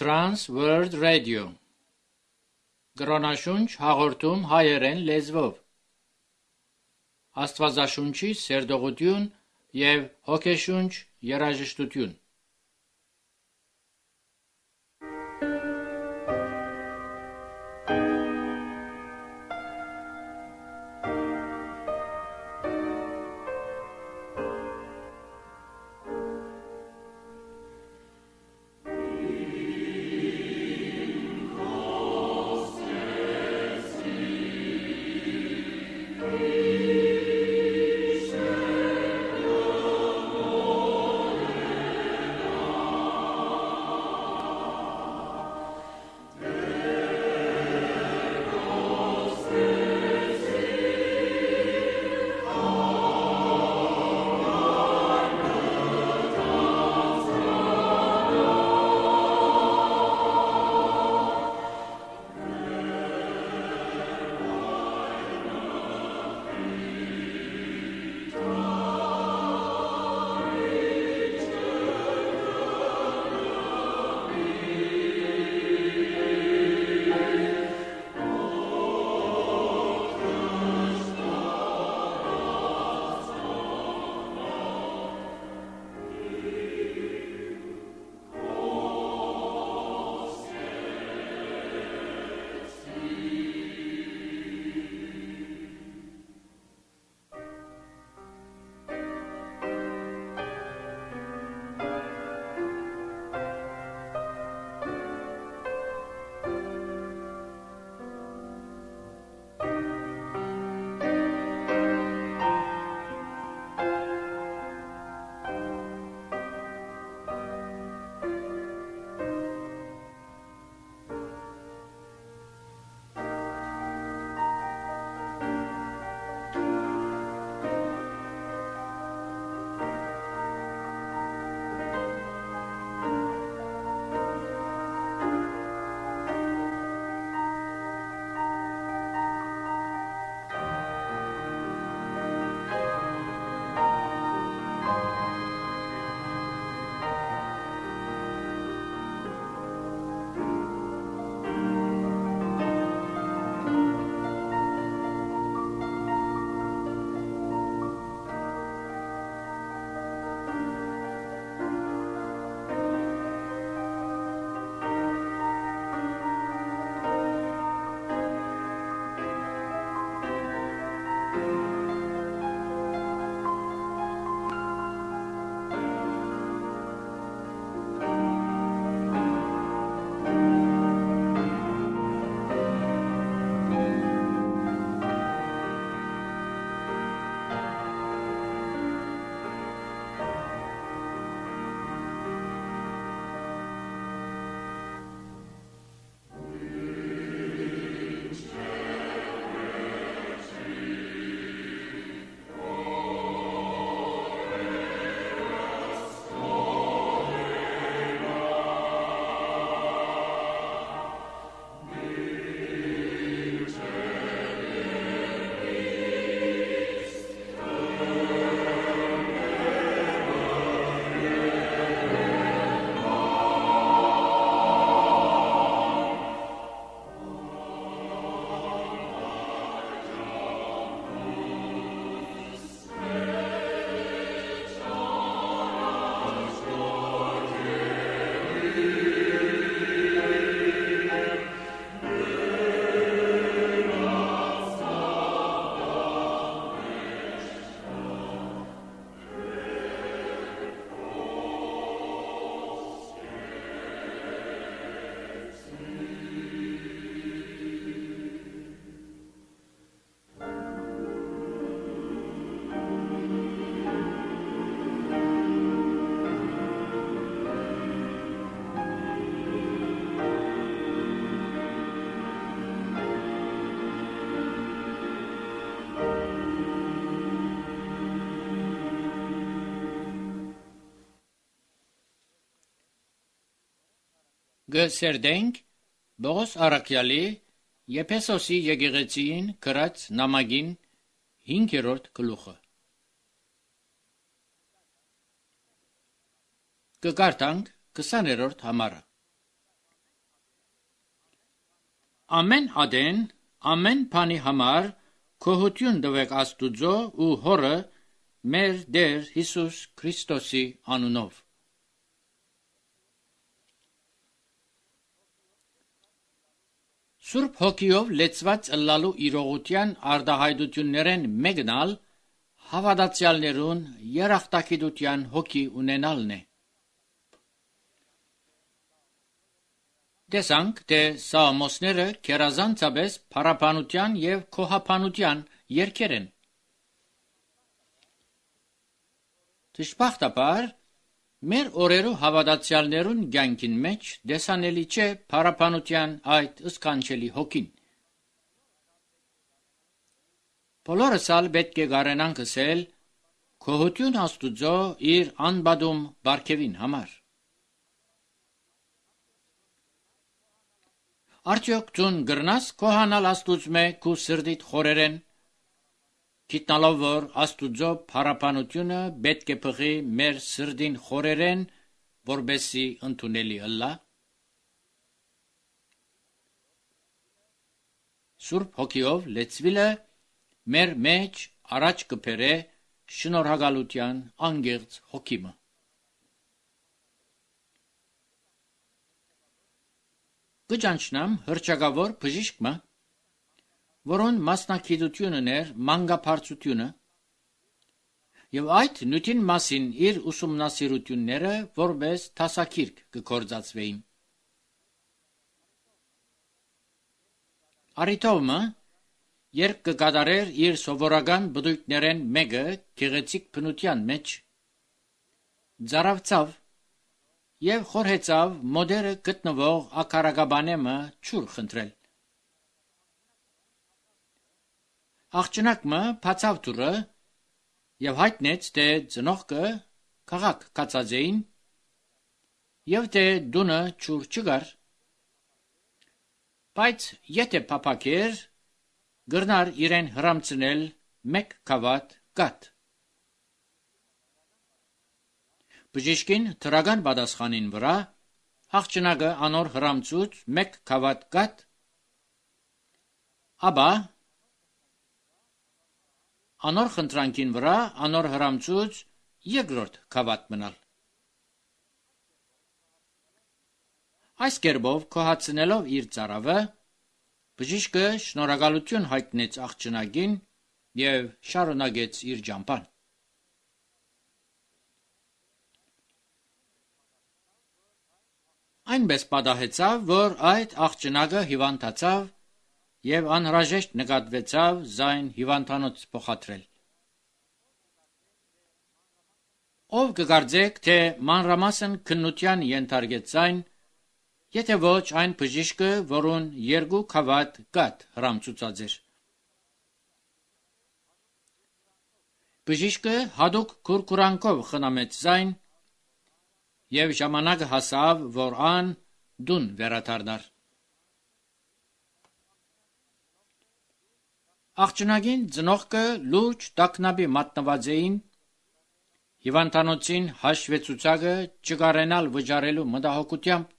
Trans World Radio Գրոնաշունչ հաղորդում հայերեն լեզվով Աստվածաշունչի սերտողություն և հոգեշունչ երաժշտություն Գսերդենք Բողոս Արաքյալի Եփեսոսի եկեղեցին գրած նամակին 5-րդ գլուխը Կկարդանք 20-րդ համարը Ամեն ադեն, ամեն բանի համար գոհություն տվեք Աստուծո ու Հորը մեր Տեր Հիսուս Քրիստոսի անունով։ Սուրբ հոգիով լեցված ըլլալու իրողության արտահայտություններեն մեկն ալ հավատացյալներուն երախտագիտության հոգի ունենալն է։ Տեսանք, թե Սաղմոսները քերազանցապես փառաբանության եւ քոհաբանության երգեր են։ Դժբախտաբար, մեր օրերու հավատացյալներուն կյանքին մեջ տեսանելի չէ փառաբանության այդ սքանչելի հոգին։ Բոլորս ալ պետք է կարենանք ասել գոհություն Աստուծո իր անբադում բարգևին համար։ Արդյոք դուն գրնաս քոհանալ Աստուծմե քու սրդիդ խորերեն, գիտնալով որ Աստուծո փառաբանությունը պետք է փղի մեր սրդին խորերեն, որբեսի ընդունելի ըլլա։ Սուրբ հոգիով լեցվիլը մեր մեջ առաջ կբերե շնորհակալության անգեղծ հոգիմը։ Կճանչնամ հրճակավոր բժիշկը, որոն մասնակցությունն էր մանկաբարձությունը, եւ այդ նյութին մասին իր ուսումնասիրությունները որպես դասակիրք կգործածվեին։ Արիթովը, երբ կկատարեր իր սովորական բդույթներեն մեկը գեղեցիկ բնության մեջ, ծարավցավ եւ խորհեցավ մոդերը գտնվող ակարագաբանեմը ճուր խնդրել։ Աղջնակը բացավ դուռը եւ հայտնեց, թե ծնողքը քաղաք կացածեին եւ թե դունը ճուր չկար, բայց եթե փափակեր, գրնար իրեն հրամցնել մեկ քավատ կաթ։ Բժիշկին դրական պատասխանին վրա աղջնակը անոր հրամցուց մեկ քավատ կաթ, ապա անոր խնդրանքին վրա անոր հրամցուց երկրորդ քավատ մնալ։ Այս կերպով քոհացնելով իր ծարավը, բժիշկը շնորհակալություն հայտնեց աղջնակին եւ շարունակեց իր ճամփան։ Այնպես պատահեցավ, որ այդ աղջնակը հիվանդացավ եւ անհրաժեշտ նկատվեցավ զայն հիվանդանոց փոխադրել։ Ով կգարձեք, թե մանրամասն քննության ենթարկեց այն, եթե ոչ այն բժիշկը, որուն երկու քավատ կաթ հրամցուցած էր։ Բժիշկը հadouk քուրքուրանքով խնամեց զայն եւ ժամանակը հասավ, որ ան դուն վերադառնար։ Աղջնակին ծնողքը լուրջ տագնապի մատնված էին, հիվանդանոցին հաշվեցուցակը չկարենալ վճարելու մտահոգությամբ,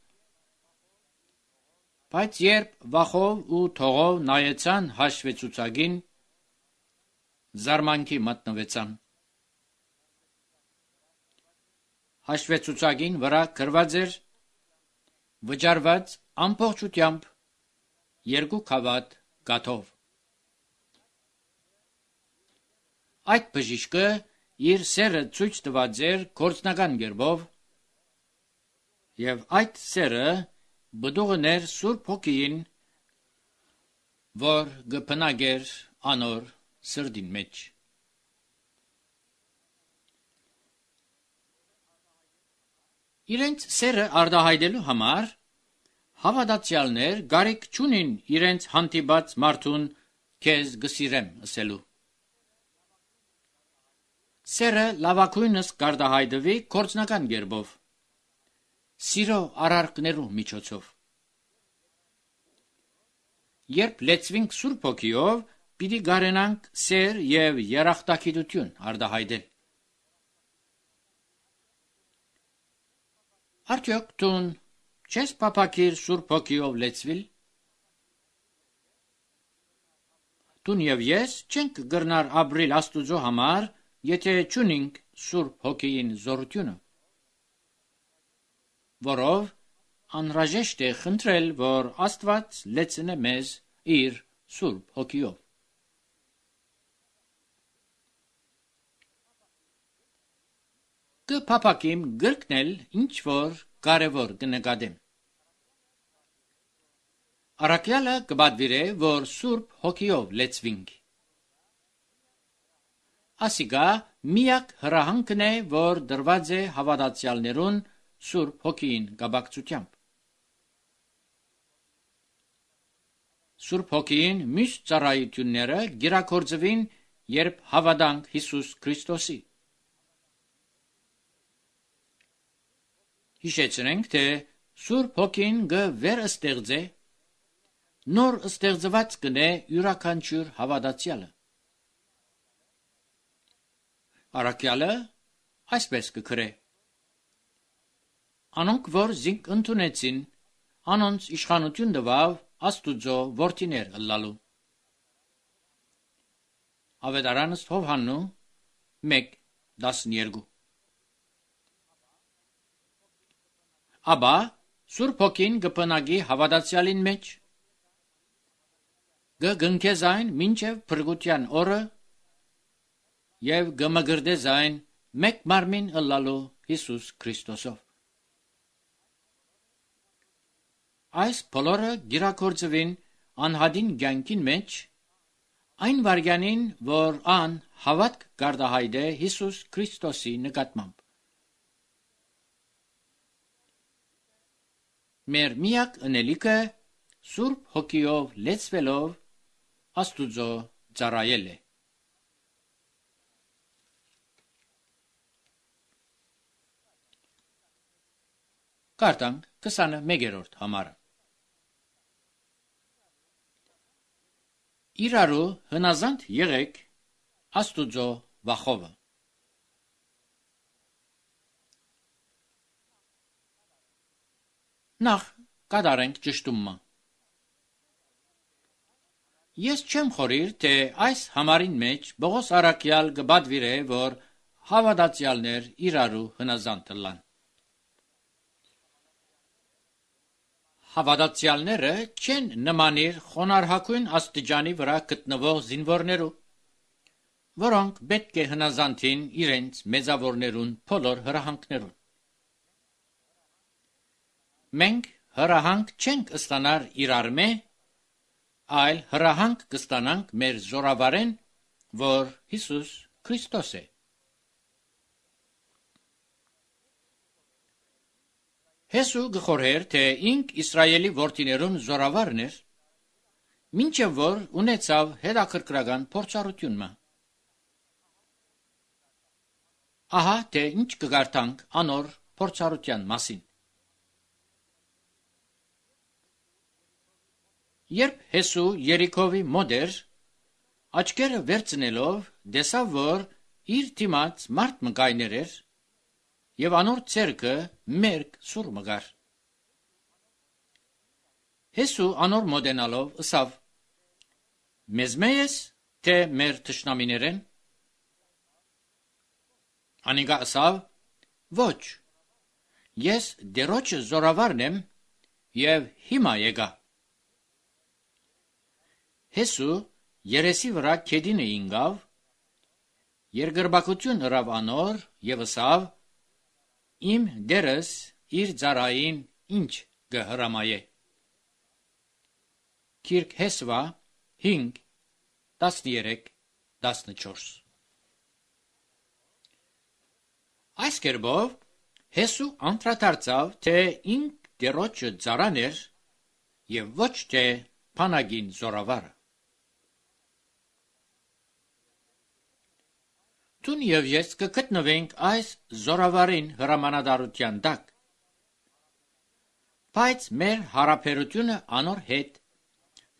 բայց երբ վախով ու թողով նայեցան հաշվեցուցակին, զարմանքի մատնվեցան։ Հաշվեցուցակին վրա գրված էր վճարված ամբողջությամբ 2 քավատ կաթով։ Այդ բժիշկը իր սերը ցույց տված էր գործնական կերպով, եւ այդ սերը բդուղն էր Սուրբ Հոգին, որ գփնագեր անոր սրդին մեջ։ Իրենց սերը արտահայտելու համար հավատացյալներ գարիք չունին իրենց հանդիպած մարդուն քեզ գսիրեմ ասելու։ Սերը լավագույնս կարտահայտվի գործնական կերպով, սիրո արարքներու միջոցով։ Երբ լեցվինք Սուրբ Հոգիով, պիտի կարենանք սեր եւ երախտագիտություն արտահայտել։ Արդյոք դուն չես փափակիր Սուրբ Հոգիով լեցվել։ Տուն եւ ես չենք գրնար ապրիլ Աստուծո համար, եթե չունենք Սուրբ Հոգին զորությունը, որով անհրաժեշտ է խնդրել, որ Աստված լեցնե մեզ իր Սուրբ Հոգիով։ Կփափակիմ գրկնել ինչ որ կարևոր կնկատեմ։ Առաքյալը կբադվիրե, որ Սուրբ Հոգիով լեցվինք։ Ասիկա միակ հրահանգն է, որ դրված է հավատացյալներուն Սուրբ Հոգին կապակցությամբ։ Սուրբ Հոգին մյուս ծառայությունները գիրակորձվին, երբ հավատանք Հիսուս Քրիստոսի։ Հիշեցնենք, թե Սուրբ Հոգին վերստեղծե, նոր ստեղծված կնե յուրաքանչյուր հավատացյալը։ Առաքյալը այսպես կգրե. Անոնք, որ զինք ընդունեցին, անոնց իշխանություն տվավ Աստուծո որդիներ ըլլալու։ Ավետարանս Հովհաննու 1:12։ Աբա Սուրբ Հոգին կփնագի հավատացյալին մեջ, կգնքե զայն մինչև փրկության օրը եւ կմգրդե զայն մեկ մարմին ըլլալու Հիսուս Քրիստոսով։ Այս բոլորը գիրակորձվին անհադին կյանքին մեջ, այն վարյանին, որ ան հավատք կարտահայտե Հիսուս Քրիստոսի նկատմամբ։ Մեր միակ ընելիքը Սուրբ Հոգիով լեցվելով Աստուծո ծառայել է։ Կարդանք 21-րդ համարը։ Իրարու հնազանդ եղեք Աստուծո վախովը։ Նախ կատարենք ճշտումը։ Ես չեմ խորիր, թե այս համարին մեջ Պողոս առաքյալ կբադվիրե, որ հավատացյալներ իրարու հնազանդ ըլլան։ Հավատացյալները չեն նմանիր խոնարհագույն աստիճանի վրա գտնվող զինվորներու, որոնք պետք է հնազանդին իրենց մեծավորներուն բոլոր հրահանգներուն։ Մենք հրահանգ չենք ստանար իրարմե, այլ հրահանգ կստանանք մեր զորավարեն, որ Հիսուս Քրիստոս է։ Հեսու գխորհեր, թե ինք Իսրայելի որդիներուն զորավարն էր, մինչև որ ունեցավ հետաքրքրական փորձառությունը։ Ահա թե ինչ կգարտանք անոր փորձառության մասին։ Երբ Հեսու Երիքովի մոտ էր, աչքերը վերցնելով, տեսավ, որ իր դիմաց մարդ մկայներ էր, եւ անոր ցերկը մերկ սուր մգար։ Հեսու անոր մոտենալով ըսավ. Մեզ մեյես, թե մեր թշնամիներեն։ Անիկա ըսավ. Ոչ, ես դերոջը զորավարն եմ եւ հիմա եկա։ Հեսու երեսի վրա քեդինը ինգավ, երկրբակություն հրավ անոր եւ ըսավ. Իմ դերս իր ծառային ինչ կհրամայե։ Քիրք Հեսվա 5:13-14։ Այս կերպով Հեսու անդրադարձավ, թե ինք դերոջը ծառան էր եւ ոչ թե փանագին զորավարը։ Տուն եւ ես կգտնվենք այս զորավարին հրամանատարության տակ, բայց մեր հարաբերությունը անոր հետ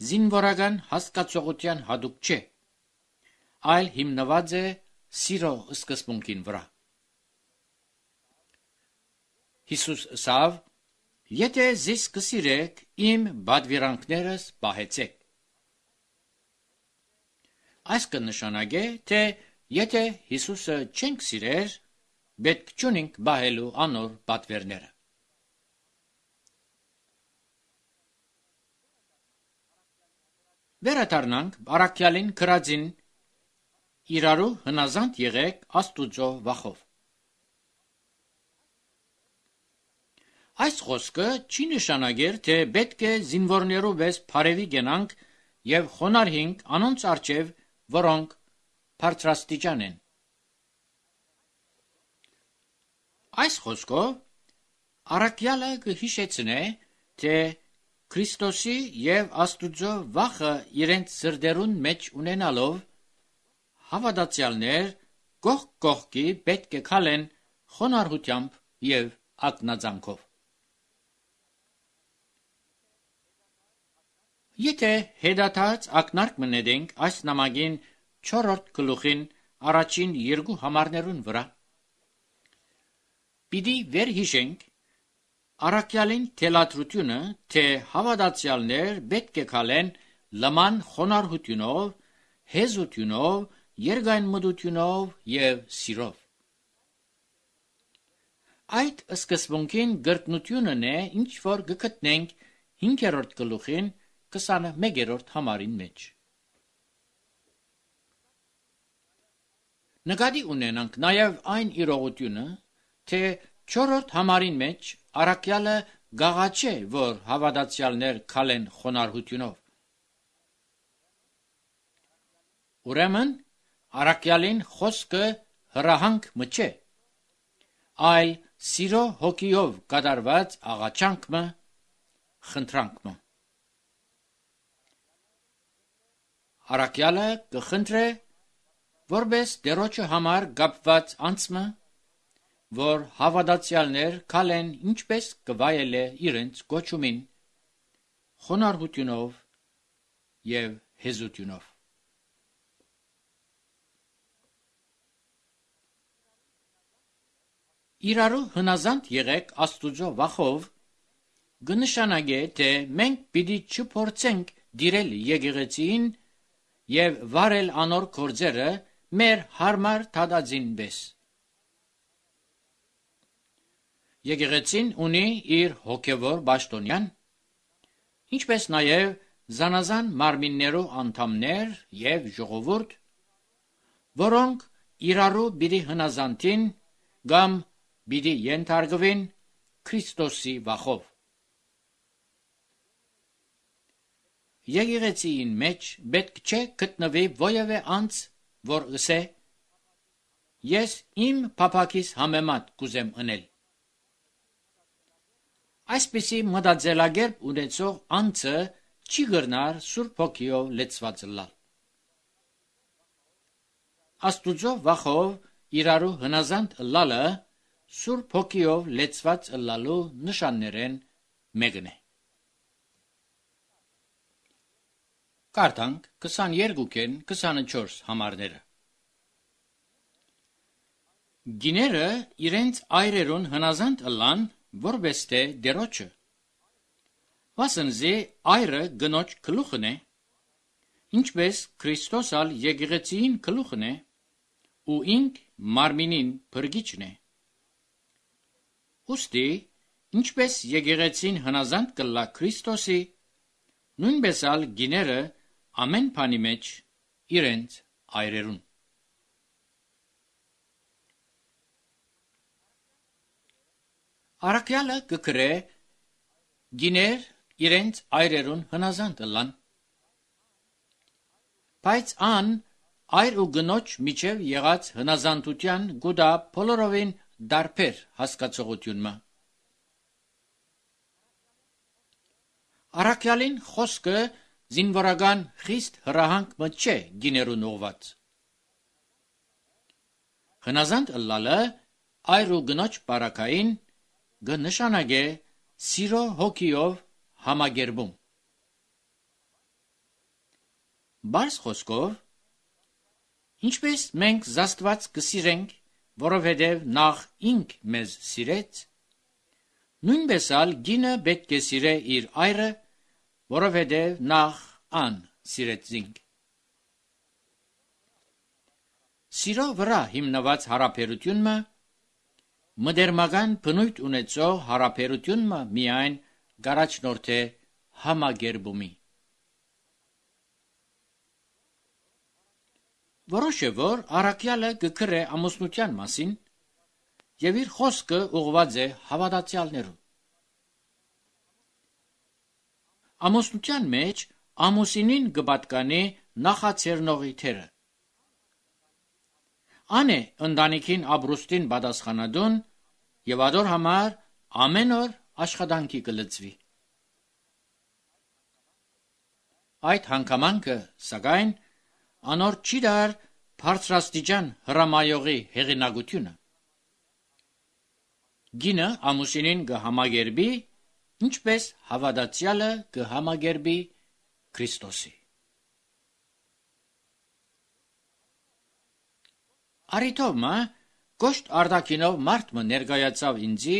զինվորական հասկացողության հատուկ չէ, այլ հիմնված է սիրո սկզբունքին վրա։ Հիսուս ըսավ. Եթե զիս կսիրեք, իմ բադվիրանքներս պահեցեք։ Այս կնշանակե, թե եթե Հիսուսը չենք սիրեր, պետք չունենք բահելու անոր պատվերները։ Վերադառնանք առաքյալին գրածին իրարու հնազանդ եղեք Աստուծո վախով։ Այս խոսքը չի նշանակեր, թե պետք է զինվորներու վես փարևի գնանք եւ խոնարհինք անոնց արջև, որոնք բարձրաստիճան են։ Այս խոսքով առաքյալը կհիշեցնե, թե Քրիստոսի եւ Աստուծո վախը իրենց սրտերուն մեջ ունենալով, հավատացյալներ կողք կողքի պետք է քալեն խոնարհությամբ եւ ակնածանքով։ Եթե հետադարձ ակնարկ մնետենք այս նամակին 4-րդ գլուխին առաջին երկու համարներուն վրա, պիտի վերհիշենք առաքյալին թելադրությունը, թե հավատացյալներ պետք է քալեն լման խոնարհությունով, հեզությունով, երկայնմտությունով եւ սիրով։ Այդ սկզբունքին գրտնությունն է, ինչ որ գտնենք 5-րդ գլուխին 21-րդ համարին մեջ։ Նկատի ունենանք նաեւ այն իրողությունը, թե 4-րդ համարին մեջ առաքյալը գաղաչե, որ հավատացյալներ քալեն խոնարհությունով։ Ուրեմն առաքյալին խոսքը հրահանգ մը չէ, այլ սիրո հոգիով կատարված աղաչանք մը, խնդրանք մը։ Առաքյալը կխնդրե, որպես Տերոջը համար կապված անձը, որ հավատացյալներ քալեն ինչպես կվայելե իրենց կոչումին, խոնարհությունով եւ հեզությունով։ Իրարու հնազանդ եղեք Աստուծո վախով կնշանակե, թե մենք պիտի չփորձենք դիրել եկեղեցին եւ վարել անոր գործերը մեր հարմար թադածին պես։ Եկեղեցին ունի իր հոգևոր պաշտոնյան, ինչպես նաեւ զանազան մարմիններու անդամներ եւ ժողովուրդ, որոնք իրարու պիտի հնազանդին կամ պիտի ենթարկվին Քրիստոսի վախով։ Եկեղեցին մեջ պետք չէ գտնվի որևէ անձ, որ ըսե. ես իմ փափակիս համեմատ կուզեմ ընել։ Այսպիսի մտածելակերպ ունեցող անձը չի գրնար Սուրբ Հոգիով լեցված լալ։ Աստուծո վախով իրարու հնազանդ լալը Սուրբ Հոգիով լեցված լալու նշաններեն մեկն է։ Կարդանք 22-ին 24 համարները։ Գիները իրենց այրերուն հնազանդ ըլլան, որպես թե դերոջը։ Վասնզի այրը գնոջ գլուխն է, ինչպես Քրիստոսալ եկեղեցին գլուխն է, ու ինք մարմինին փրկիչն է։ Ուստի, ինչպես եկեղեցին հնազանդ կլա Քրիստոսի, նույնպես ալ գիները ամեն բանի մեջ իրենց այրերուն։ Առաքյալը կգրե գիներ իրենց այրերուն հնազանդ ըլլան, բայց ան այր ու գնոջ միջև եղած հնազանդության գուտա բոլորովին դարբեր հասկացողություն մը։ Առաքյալին խոսքը զինվորական խիստ հրահանգ մը չէ գիներուն ուղված։ Հնազանդ ըլլալը այր ու գնոջ բարակային կնշանակե սիրո հոգիով համագերբում։ Բարձ խոսքով, ինչպես մենք Աստված կսիրենք, որովհետև նախ ինք մեզ սիրեց, նույնպես ալ գինը պետք է սիրե իր այրը, որովհետև նախ ան սիրեց ինք։ Սիրո վրա հիմնված հարաբերությունը մդերմական բնույթ ունեցող հարաբերությունը միայն գարաչնորդ է համագերբումի։ Որոշ է, որ առաքյալը գկրե ամուսնության մասին և իր խոսքը ուղղված է հավատացյալներուն։ Ամուսնության մեջ ամուսինին կպատկանի նախաձեռնողի թերը։ Ան է ընտանիքին ապրուստին պատասխանատուն և ադոր համար ամեն օր աշխատանքի կլծվի։ Այդ հանգամանքը, սակայն, անոր չի դար բարձրաստիճան հրամայողի հեղինակությունը։ Գինը ամուսինին կհամագերբի, ինչպես հավատացյալը կհամագերբի Քրիստոսի։ Արիթովմը կոշտ արտաքինով մարդը ներկայացավ ինձի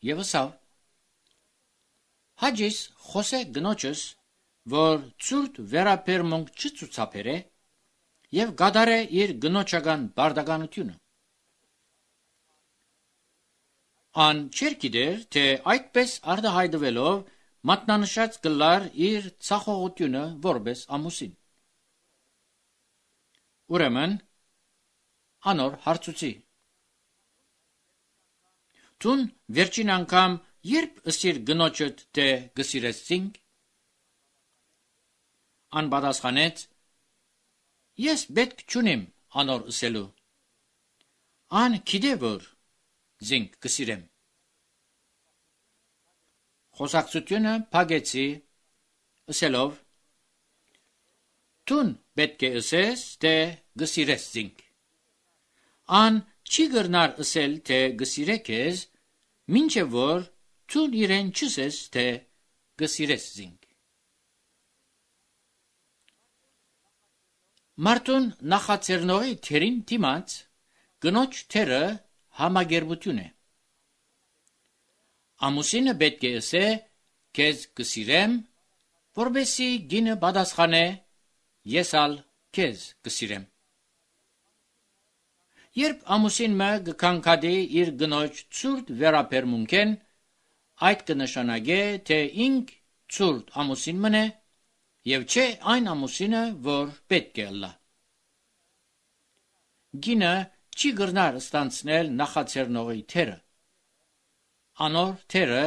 և ասավ. «Հաջիս խոսե գնոջս, որ ցուրտ վերաբերմունք չցուցաբերե և կատարե իր գնոջական պարտականությունը»։ Ան չէր գիտեր, թե այդպես արտահայտվելով մատնանշած կլար իր ցախողությունը որպես ամուսին։ Ուրեմն անոր հարցուցի. «Տուն վերջին անգամ երբ ըսիր գնոջդ, թե գսիրես զինք»։ Ան պատասխանեց. «Ես պետք չունիմ անոր ըսելու։ Ան գիտե, որ զինք գսիրեմ»։ Խոսակցությունը փակեցի ըսելով. «Տուն պետք է ըսես, թե գսիրես զինք։ Ան չի գրնար ըսել, թե գսիրե քեզ, մինչև որ ցուն իրեն չսես, թե գսիրես զինք»։ Մարդուն նախաձեռնողի թերին դիմաց գնոջ թերը համագերբություն է։ Ամուսինը պետք է ըսե քեզ գսիրեմ, որպեսզի գինը պատասխանե ես ալ քեզ գսիրեմ։ Երբ ամուսինը կքնքադի իր գնոջ ցուրտ վերաբերմունքեն, այդ կնշանակե, թե ինք ցուրտ ամուսին մնե և չէ այն ամուսինը, որ պետք է ըլլա։ Գինը չի գրնար ստանցնել նախաձեռնողի թերը։ Անոր թերը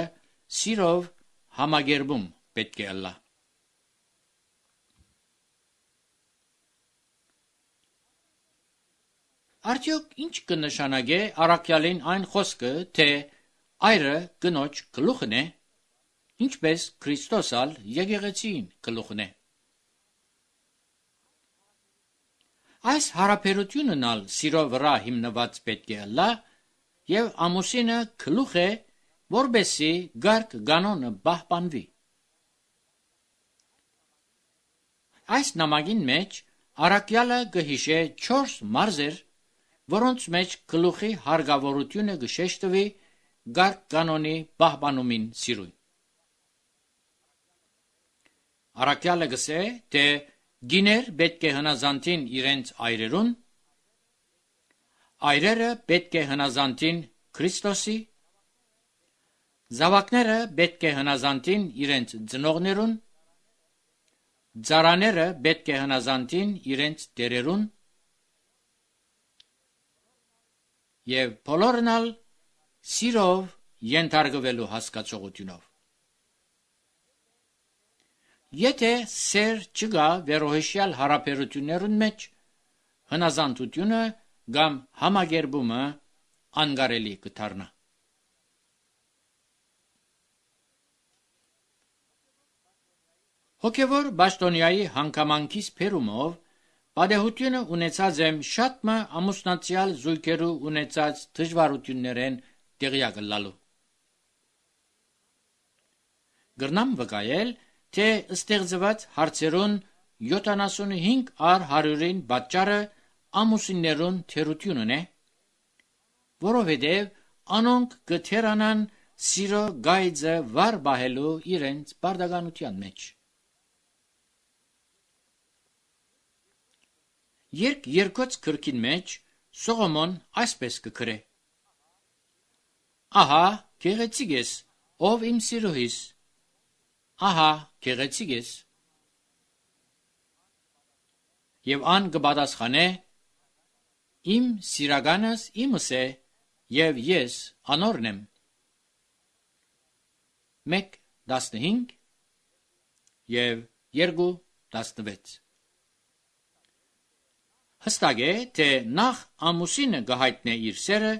սիրով համագերբում պետք է ըլլա։ Արդյոք ինչ կնշանակե առաքյալին այն խոսքը, թե այրը գնոջ գլուխն է, ինչպես Քրիստոս ալ եկեղեցին գլուխն է։ Այս հարաբերությունն ալ սիրո վրա հիմնված պետք է ըլլա և ամուսինը գլուխ է, որպեսզի գարգ կանոնը պահպանվի։ Այս նամակին մեջ առաքյալը կհիշե 4 մարզեր, որոնց մեջ գլուխի հարկավորությունը կշեշտվի գարգ կանոնի պահպանումին սիրուն։ Առաքյալը կսե, թե գիներ պետք է հնազանդին իրենց այրերուն, այրերը պետք է հնազանդին Քրիստոսի, զավակները պետք է հնազանդին իրենց ծնողներուն, ծառաները պետք է հնազանդին իրենց տերերուն, և բոլորն ալ սիրով ենթարկվելու հասկացողությունով։ Եթե սեր չկա վերոհիշյալ հարաբերություններուն մեջ, հնազանդությունը կամ համագերբումը անգարելի կդառնա։ Հոգևոր պաշտոնյայի հանգամանքից բերումով պատեհությունը ունեցած եմ շատ մը ամուսնացյալ զույգերու ունեցած դժվարություններեն տեղյակ ըլլալու։ Գրնամ վկայել, թե ստեղծված հարցերուն 75 առ 100-ին պատճառը ամուսիններուն թերությունն է, որովհետև անոնք կթերանան սիրո գայձը վար պահելու իրենց պարտականության մեջ։ Երկ երկոց գրքին մեջ Սողոմոն այսպես կգրե. Ահա գեղեցիկ ես, ով իմ սիրուհիս, ահա գեղեցիկ ես։ Եվ ան կպատասխանե. իմ սիրականս իմս է, և ես անորն եմ։ 1:15 և 2:16 Հստակ է, թե նախ ամուսինը կհայտնե իր սերը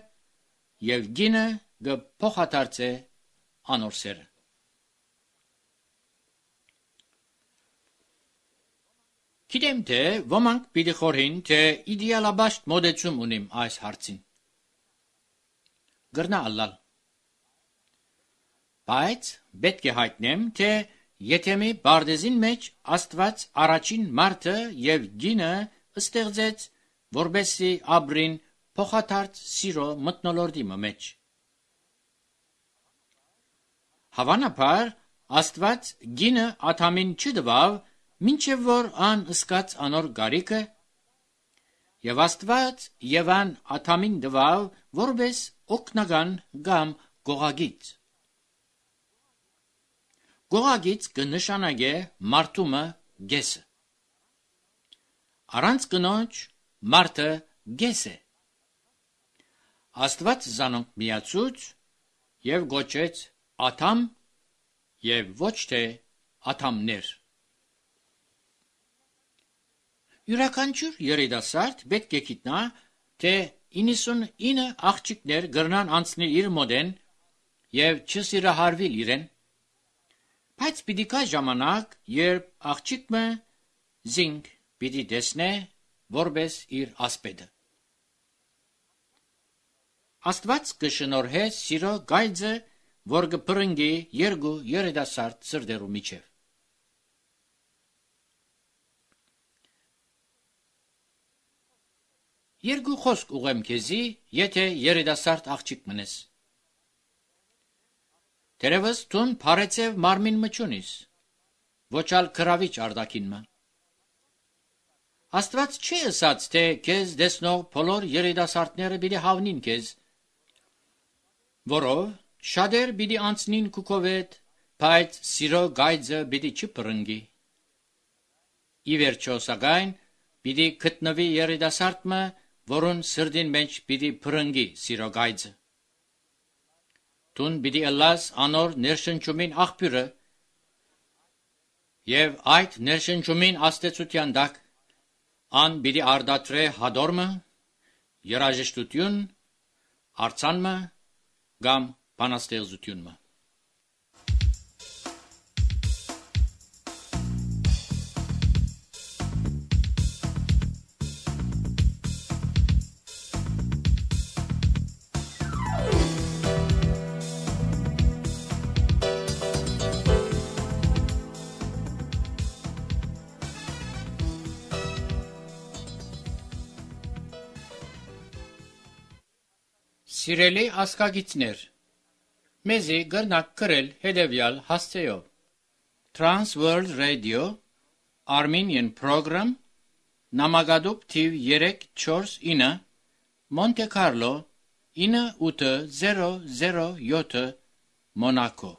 և կինը կփոխադարձե անոր սերը։ Գիտեմ, թե ոմանք պիտի խորհին, թե իդեալաբաշտ մոդեցում ունիմ այս հարցին։ Գրնա ալալ։ Բայց պետք է հայտնեմ, թե եթե մի բարձին մեջ Աստված առաջին մարդը և կինը ստեղծեց, որպեսզի ապրին փոխադարձ սիրո մթնոլորտի մեջ։ Հավանաբար Աստված կինը Ադամին չտվավ, մինչև որ ան զգաց անոր գարիքը, և Աստված Եվան Ադամին տվավ որպես օգնական կամ գողագիծ։ Գողագիծ կնշանակե մարդումը գեսը։ Առանց կնոջ մարդը գես է։ Աստված զանոնք միացուց և գոչեց Ադամ և ոչ թե ադամներ։ Յուրաքանչյուր երիտասարդ պետք է գիտնա, թե 99 աղջիկներ կրնան անցնել իր մոդեն և չսիրահարվել իրեն, բայց պիտի գա ժամանակ, երբ աղջիկը զինք պիտի տեսնե որպես իր ասպետը։ Աստված կշնորհե սիրո գայծը, որ կփրկի երկու երիտասարդ սրտերու միջև։ Երկու խոսք ուղեմ քեզի, եթե երիտասարդ աղջիկ մնես։ Դերևս տուն փարեցև մարմին մչունիս, ոչալ գրավիչ արտաքինը։ Աստված չի ասած, թե քեզ դեսնող բոլոր երիտասարդները պիտի հավնին քեզ, որով շատեր պիտի անցնին քուքովետ, բայց սիրո գայծը պիտի չփրկի։ Ի վերջո սակայն պիտի գտնվի երիտասարդը, որուն սրտին մեջ պիտի փրկի սիրո գայծը։ Տուն պիտի ըլլաս անոր ներշնչումին աղբյուրը, և այդ ներշնչումին աստեցության տակ ան պիտի արտադրե հադորմը, երաժշտություն, արձանմը կամ բանաստեղծությունը։ Սիրելի ասկագիցներ, մեզի գրնակ գրել հետևյալ հասցեով. Trans World Radio, Armenian Program, Նամակադուպ թիվ 349, Monte Carlo, 9807, Monaco։